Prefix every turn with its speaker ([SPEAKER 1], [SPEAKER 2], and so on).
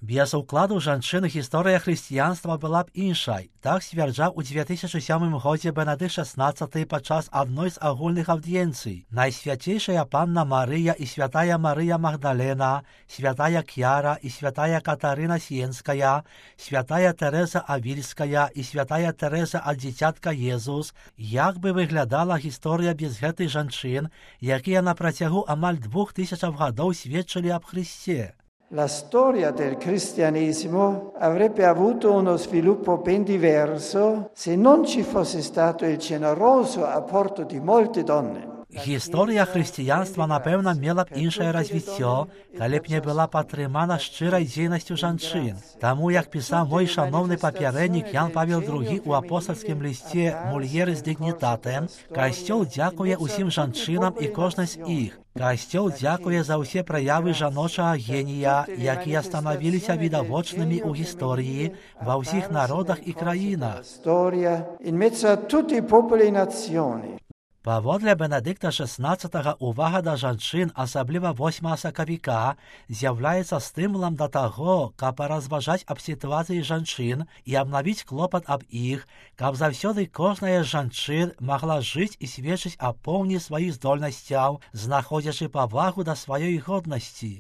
[SPEAKER 1] Без укладу жанчын гісторыя хрысціянства была б іншай. Так сцвярджаў у 2007 годзе Бенедыкт XVI падчас адной з агульных аўдыенцый. Найсвяцейшая Панна Марыя і святая Марыя Магдалена, святая Кьяра і святая Катарына Сіенская, святая Тэрэза Авільская і святая Тэрэза ад дзіцятка Езус. Як бы выглядала гісторыя без гэтых жанчын, якія на працягу амаль 2000 гадоў сведчылі аб Христе?
[SPEAKER 2] La storia del cristianesimo avrebbe avuto uno sviluppo ben diverso se non ci fosse stato il generoso apporto di molte donne.
[SPEAKER 1] Гісторыя хрысціянства, напэўна, мела б іншае развіццё, калі б не была падтрымана шчырай дзейнасцю жанчын. Таму, як пісаў мой шаноўны папярэднік Ян Павел II у апостальскім лісце «Mulieris Dignitatem», Касцёл дзякуе ўсім жанчынам і кожнай з іх. Касцёл дзякуе за ўсе праявы жаночага генія, якія станавіліся відавочнымі ў гісторыі ва ўсіх народах і краінах.
[SPEAKER 2] In mezzo a tutti i popoli e nazioni.
[SPEAKER 1] Паводле Бенедыкта XVI увага да жанчын, асабліва 8 сакавіка, з'яўляецца стымулам да таго, каб паразважаць аб сітуацыі жанчын і абнавіць клопат аб іх, каб заўсёды кожная з жанчын магла жыць і сведчыць аб поўні сваіх здольнасцяў, знаходзячы павагу да сваёй годнасці.